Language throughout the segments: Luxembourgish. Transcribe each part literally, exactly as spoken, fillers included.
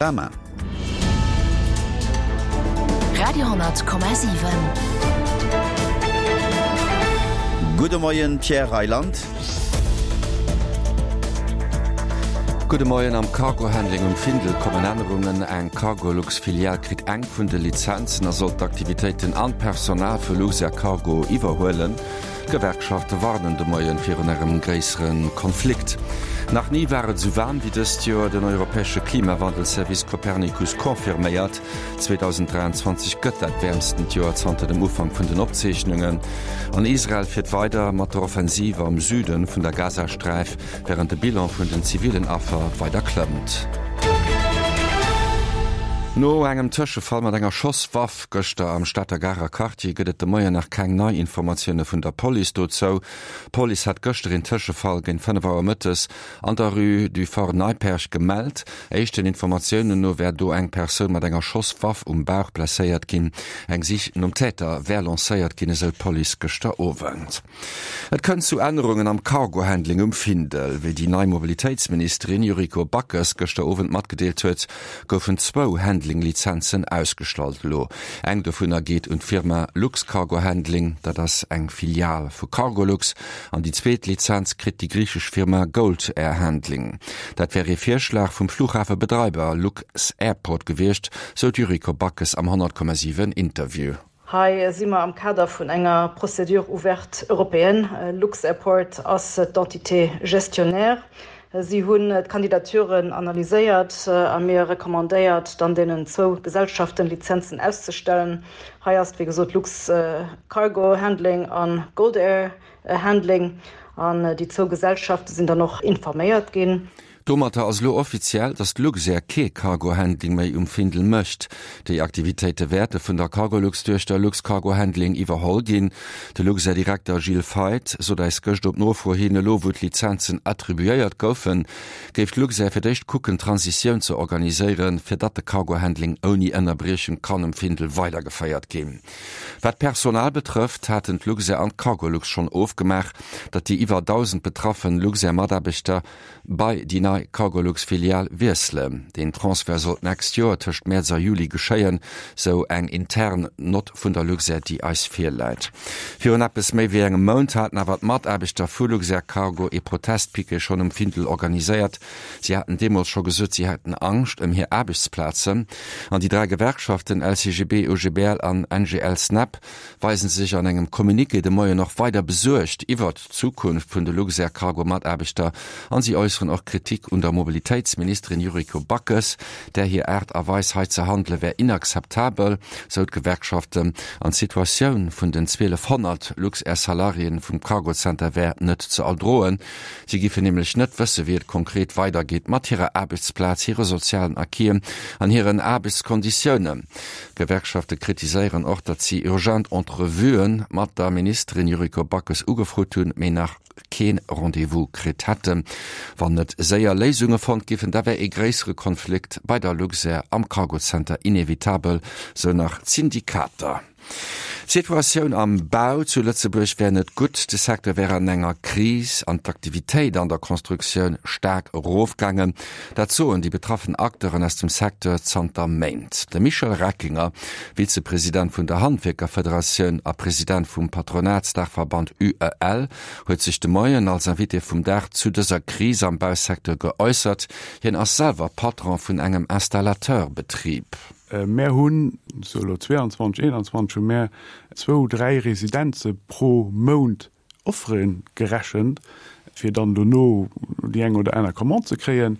Drama. Radio hundert Komma siwen. Gudde Moien, Pierre Reyland. Gudde Moien. Am Cargo-Handling um Findel kommen Ännerungen. Eng Cargolux-Filial kritt eng vun de Lizenzen a soll d'Aktivitéiten an d'Personal vu Luxair Cargo iwwerhuelen. D'Gewerkschafte warnen de Moien virun engem gréissere Konflikt. Nach ni war et esou waarm wéi dëst Joer. Den europäesche Klimawandelservice Copernicus confirméiert, zweedausenddräianzwanzeg gëtt dat wäermstent Joer zanter dem Ufank vun den Opzeechnungen. An Israel fiert weider mat der Offensive am Süde vun der Gazasträif, wärend de Bilan vun den zivillen Affer weider klëmmt. No engem Tëschefall mat enger Schosswaff gëschter am Stater Garer Quartier gëtt et de Moien nach keng nei Informatioune vun der Police dozou. D'Police hat gëschter een Tëschefall géint fënnef Auer mëttes an der Rue du Fort Neipperg gemellt. Éischten Informatiounen no wär do eng Persoun mat enger Schosswaff um Bauch blesséiert ginn. Eng Sich nom Täter wär lancéiert ginn, esou d'Police gëschter Owend. Et kënnt zu Ännerungen am Cargo-Handling um Findel. Wéi déi nei Mobilitéitsministerin Yuriko Backes gëschter Owend matgedeelt huet, goufen zwou Handling-Lizenzen ausgestallt elo. Eng dovunner geet un d'Firma Luxcargo Handling, dat ass eng Filial vu Cargolux, an déi zweet Lizenz kritt déi griichesch Firma Gold Air Handling. Dat wär ee Virschlag vum Fluchhafebedreiwer Lux-Airport gewiescht, sou d'Yuriko Backes am honnert Komma siwen Interview. Hei si mer am Kader vun enger Procédure ouverte européenne. Lux-Airport ass d'Entité gestionnaire. Si hunn d'Kandidaturen analyséiert a mir recommandéiert, dann deenen zwou Gesellschaften Lizenzen auszestellen. Hei ass et wéi gesot Lux-Cargo Handling a Gold Air Handling. An déi zwou Gesellschafte sinn dann och informéiert ginn. Domatter ass elo offiziell, datt Luxair kee Cargo-Handling méi um Findel mécht. Déi Aktivitéite wäerte vun der Cargolux-Duechter Luxcargo Handling iwwerholl ginn. De Luxair-Direkter Gilles Feith sot eis gëscht op Nofro hin, elo wou d'Lizenzen attribuéiert goufen, géif d'Luxair fir d'éischt kucken, d'Transitioun ze organiséieren, fir datt de Cargo-Handling ouni Ënnerbriechung kann um Findel weidergeféiert ginn. Wat d'Personal betrëfft, haten d'Luxair an d'Cargolux schonn ofgemaach, datt déi iwwer dausend betraffen Luxair-Mataarbechter bei déi nei Cargolux-Filial wiesselen. Deen Transfert soll d'nächst Joer tëscht Mäerz a Juli geschéien, sou eng intern Nott vun der Luxair, déi eis virläit. Virun eppes méi wéi engem Mount haten awer d'Mataarbechter vu Luxair Cargo ee Protestpiquet schonn um Findel organiséiert. Si haten deemools scho gesot, si hätten Angscht ëm hir Aarbechtsplazen. An déi dräi Gewerkschaften L C G B, O G B L an N G L-Snep weisen sech an engem Communiqué de Moien och weider besuergt iwwert d'Zukunft vun de Luxair Cargo Mataarbechter an si äusseren och Kritik un der Mobilitéitsministerin Yuriko Backes. Där hir Aart a Weis hei ze handele wär inakzeptabel, sou d'Gewerkschaften, an d'Situatioun vun den zwielefhonnert Luxair Salariéen vum Cargocenter wär net ze erdroen. Si giffen nämlech net wësse wéi et konkret weidergeet mat hirer Aarbechtsplaz, hire sozialen Acquisen an hiren Aarbechtskonditiounen. D'Gewerkschafte kritiséieren och, datt si urgent Entrevuë mat der Ministerin Yuriko Backes ugefrot hunn, mee nach kee Rendez-vous kritt hätten. Wann net séier Léisunge fonnt giffen, da wär ee gréissere Konflikt bei der Luxair am Cargocenter inevitabel, sou nach d'Syndikater. D'Situatioun am Bau zu Lëtzebuerg wär net gutt, de Secteur wär an enger Kris an d'Aktivitéit an der Constructioun staark erofgaangen. Dat soen déi betraffen Acteuren aus dem Secteur zanter Méint. De Michel Reckinger, Vizepresident vun der Handwierkerfederatioun a President vum Patronatsdaachverband U E L, huet sech de Moien als Invité vum Dag zu dëser Kris am Bausecteur geäussert. Hien ass selwer Patron vun engem Installateurbetrib. Mär hunn sou elo zwéianzwanzeg, eenanzwanzeg hu mär zwou, dräi Residenze pro Mount Offere gerechent, fir dann dono déi eng oder aner Commande ze kréien.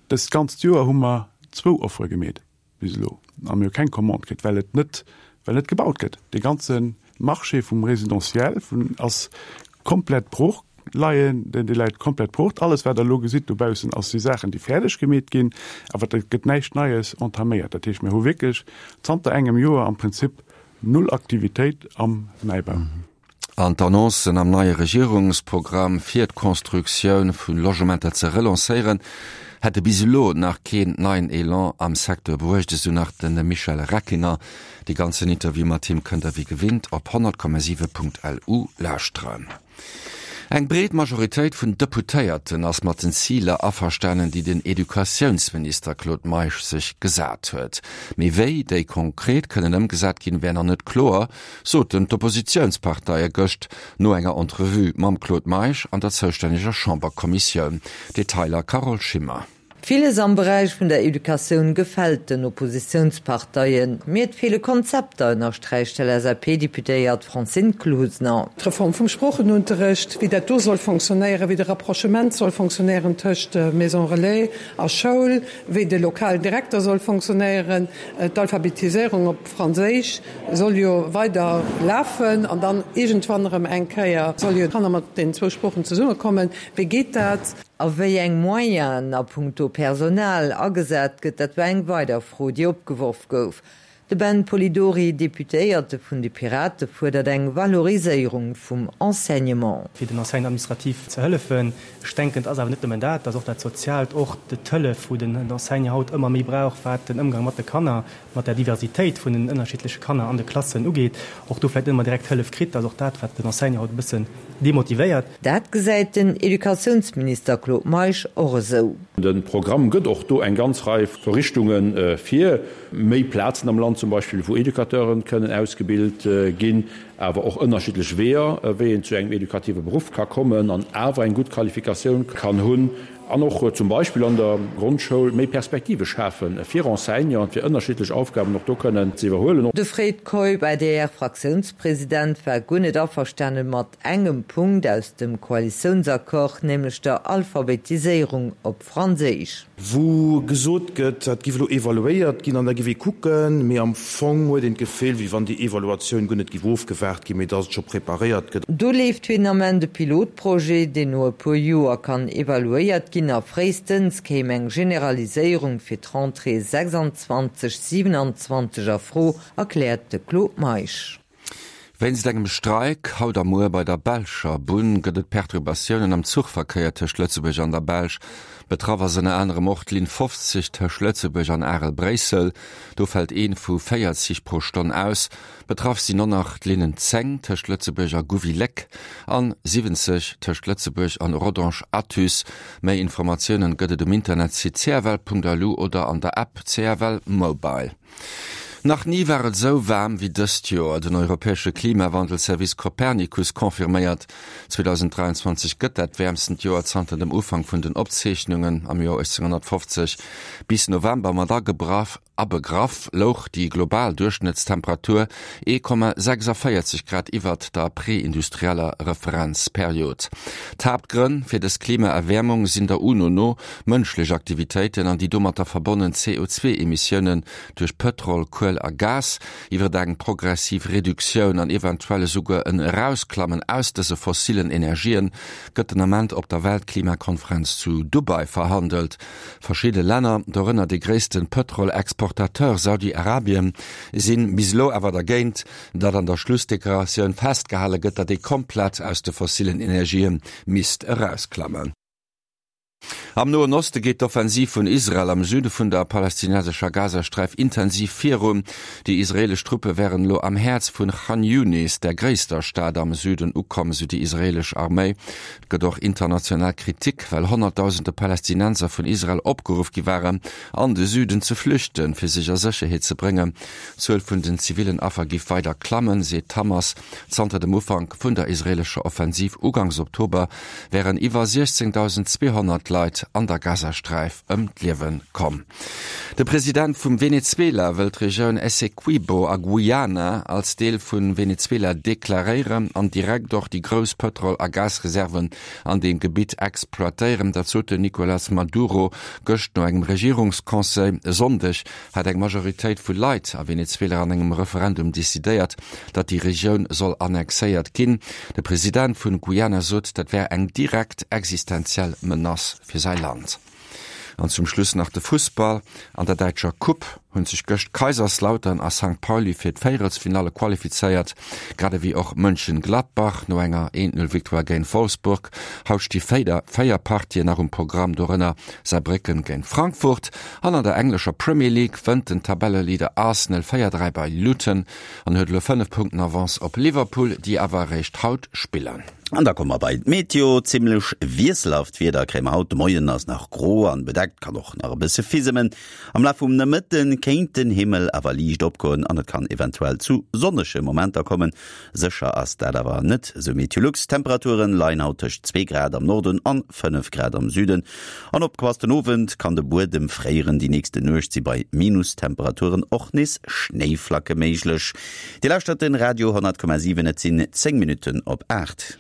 Dëst ganzt Joer hu mer zwou Offere gemeet bis elo a mir hu keng Commande kritt, well et net, well net gebaut gëtt. Dee ganze Marché vum Residentiel vun ass komplett brooch leien, deen dee läit komplett brooch. Alles wat der elo gesitt dobaussen ass si Saachen déi fäerdeg gemeet ginn, awer et gëtt näischt Neies entaméiert. Dat heescht, mir hu wierklech zanter engem Joer am Prinzip null Aktivitéit am Neibau. An d'Annoncen am neie Regierungsprogramm fir d'Constructioun vu Logementer ze relancéieren, hätte bis elo nach keen neien Elan am Secteur bruecht, esou nach de Michel Reckinger. Dee ganzen Interview mat him kënnt der wéi gewinnt op honnert Komma siwe Punkt L U lauschteren. Eng breet Majoritéit vun Deputéierten ass mat den Ziler averstanen, déi den Educatiounsminister Claude Meisch sech gesat huet. Mee wéi déi konkret kënnen ëmgesat ginn, wär nach net kloer, soten d'Oppositiounsparteie gëscht no enger Entrevue mam Claude Meisch an der zoustänneger Chamberkommissioun. Detailer Carole Schimmer. Villes am Beräich vun der Educatioun gefält den Oppositiounsparteien, mee et feele Konzepter, ënnersträicht d'LSAP-Deputéiert Francine Closener. D'Reform vum Sproochenunterrecht, wéi dat do soll fonctionnéieren, wéi de Rapprochement soll fonctionnéieren tëscht Maison relais a Schoul, wéi de lokalen Direkter soll fonctionnéieren, d'Alphabetiséierung op Franséisch soll jo weider lafen an dann iergendwann erëm eng Kéier solle jo d'Kanner mat deenen zwou Sproochen zesummekommen. Wéi geet dat? A wéi eng Moyenen a punkto Personal agesat gëtt, dat war eng weider Fro, déi opgeworf gouf. De Ben Polidori, Deputéierte vun de Pirate fuerdert eng Valoriséierung vum Enseignement. Fir den Enseignant administratif ze hëllefen. Ech denken, et ass awer net nëmmen dat, et ass och dat Soziaalt, och d'Hëllef, wou den Enseignant haut ëmmer méi brauch, wat den Ëmgang mat de Kanner, mat der Diversitéit vun den ënnerschiddleche Kanner an de Klassen ugeet, och do vläicht net ëmmer direkt Hëllef kritt. Dat ass och dat, wat den Enseignant haut e bëssen demotivéiert. Dat gesäit den Educatiounsminister Claude Meisch och esou. De Programm gëtt och do eng ganz Rei vu Richtunge vir, méi Plazen am Land zum Beispill, wou Educateuren kënnen ausgebilt ginn, awer och ënnerschiddlech Weeër, wéi een zu engem edukative Beruff ka kommen an awer eng gutt Qualifikatioun kann hunn, an och zum Beispill an der Grondschoul méi Perspektive schafe fir Enseignanten, fir ënnerschiddlech Aufgaben och do kënnen ze iwwerhuelen. De Fred Keup, ADR-Fraktiounspresident, war guer net averstane mat engem Punkt aus dem Koalitiounsaccord, nämlech der Alphabetiséierung op Franséisch. Wou gesot gëtt, dat giff elo evaluéiert ginn an da giff ee kucken, mee am Fong huet een d'Gefill, wéi wann déi Evaluatioun guer net giff ofgewaart ginn, mee datt et scho preparéiert gëtt. Do leeft fir den Ament e Pilotprojet, deen no e puer Joer kann evaluéiert ginn a fréistens kéim eng Generaliséierung fir d'Rentrée sechsundzwanzeg, siewenundzwanzeg a Fro, erkläert de Claude Meisch. Wéinst engem Streik haut a muer bei der belscher Bunn gëtt et Perturbatiounen am Zuchverkéier tëscht Lëtzebuerg an der Belsch. Betraff ass ënner anerem och d'Linn fofzeg tëscht Lëtzebuerg an Arel-Bréissel. Do fält ee vu véier Zich pro Stonn aus. Betraff sinn och nach d'Linnen zéng tëscht Lëtzebuerg a Gouvy-Léck an siwwenzeg tëscht Lëtzebuerg an Rodange-Athus. Méi Informatiounen gëtt et um Internetsite cfl.lu oder an der App cfl Mobile. Nach ni war et esou waarm wéi dëst Joer. Den europäesche Klimawandelservice Copernicus confirméiert, zweedausenddräianzwanzeg gëtt dat wäermstent Joer zanter dem Ufank vun den Opzeechnungen am Joer uechtzénghonnertfofzeg. Bis November mat agebraff abegraff louch déi global Duerchschnëttstemperatur ee Komma sechsavéierzeg Grad iwwert der preindustrieller Referenzperiod. D'Haaptgrënn fir dës Klimaerwäermung sinn der UNO no mënschlech Aktivitéiten an déi domatter verbonnen C O zwee Emissiounen duerch Pëtrol, Kuel a Gas. Iwwert eng progressiv Reduktioun an eventuell esouguer en Erausklammen aus dëse fossillen Energien gëtt den Ament op der Weltklimakonferenz zu Dubai verhandelt. Verschidde Länner, dorënner de gréisste Pëtrolexportateur Saudi-Arabien, si bis elo awer dergéint, datt an der Schlussdeklaratioun festgehale gëtt, datt ee komplett aus de fossillen Energië misst erausklammen. Am Noen Oste geet d'Offensiv vun Israel am Süde vun der palästinensescher Gazasträif intensiv virun. Déi israeelesch Truppe wären elo am Häerz vun Chan Yunis, der gréisster Stad am Süden, ukomm, sou déi israeelesch Arméi. Et gëtt och international Kritik, well honnertdausende Palästinenser vun Israel opgeruff gi waren, an de Süden ze flüchten, fir sech a Sécherheet ze bréngen. D'Zuel vun den zivillen Affer giff weider klammen, seet d'Hamas. Zanter dem Ufank vun der israeelescher Offensiv ugangs Oktober wären iwwer siechzéngdausend zweehonnert Leit an der Gazasträif ëm d'Liewe komm. De President vum Venezuela wëll d'Regioun Essequibo a Guyana als Deel vu Venezuela deklaréieren an direkt och déi grouss Pëtrol a Gasreserven an deem Gebitt exploitéieren. Dat sot den Nicolas Maduro gëscht no engem Regierungsconseil. E Sonndeg hat eng Majoritéit vu Leit a Venezuela an engem Referendum decidéiert, datt déi Regioun soll annexéiert ginn. De President vun Guyana sot, dat wär eng direkt existenziell Menace fir säi Land. An zum Schluss nach de Fussball, An der däitscher Coupe hunn sech gëscht Kaiserslautern a Sankt Pauli fir d'Véierelsfinalle qualifizéiert, grad ewéi och Mönchengladbach no enger Eent-Null-Victoire géint Wolfsburg. Haut sti véider véier Partien nach um Programm, dorënner Saarbrécken géint Frankfurt. An an der englescher Premier League wënnt den Tabelleleader Arsenal véier dräi bei Luton an huet elo fënnef Punkten Avance op Liverpool, déi awer eréischt haut spillen. An da komme mer bei d'Meteo. Zimmlech wiesselhaft Wieder kréie mer haut. De Moien ass nach gro an bedeckt, kann och nach e bësse fisemen. Am Laf vum Nomëtte kéint den Himmel awer liicht opgoen an et kann eventuell zu sonnege Momenter kommen. Sécher ass dat awer net, sou Meteolux. D'Temperature leien haut tëscht zwee Grad am Norden an fënnef Grad am Süden. An opgepasst, den Owend kann de Buedem fréieren, déi nächste Nuecht si bei Minustemperaturen och nees Schnéiflacke méiglech. Dir lauschtert den Radio honnert Komma siwen, et sinn zéng Minutten op aacht.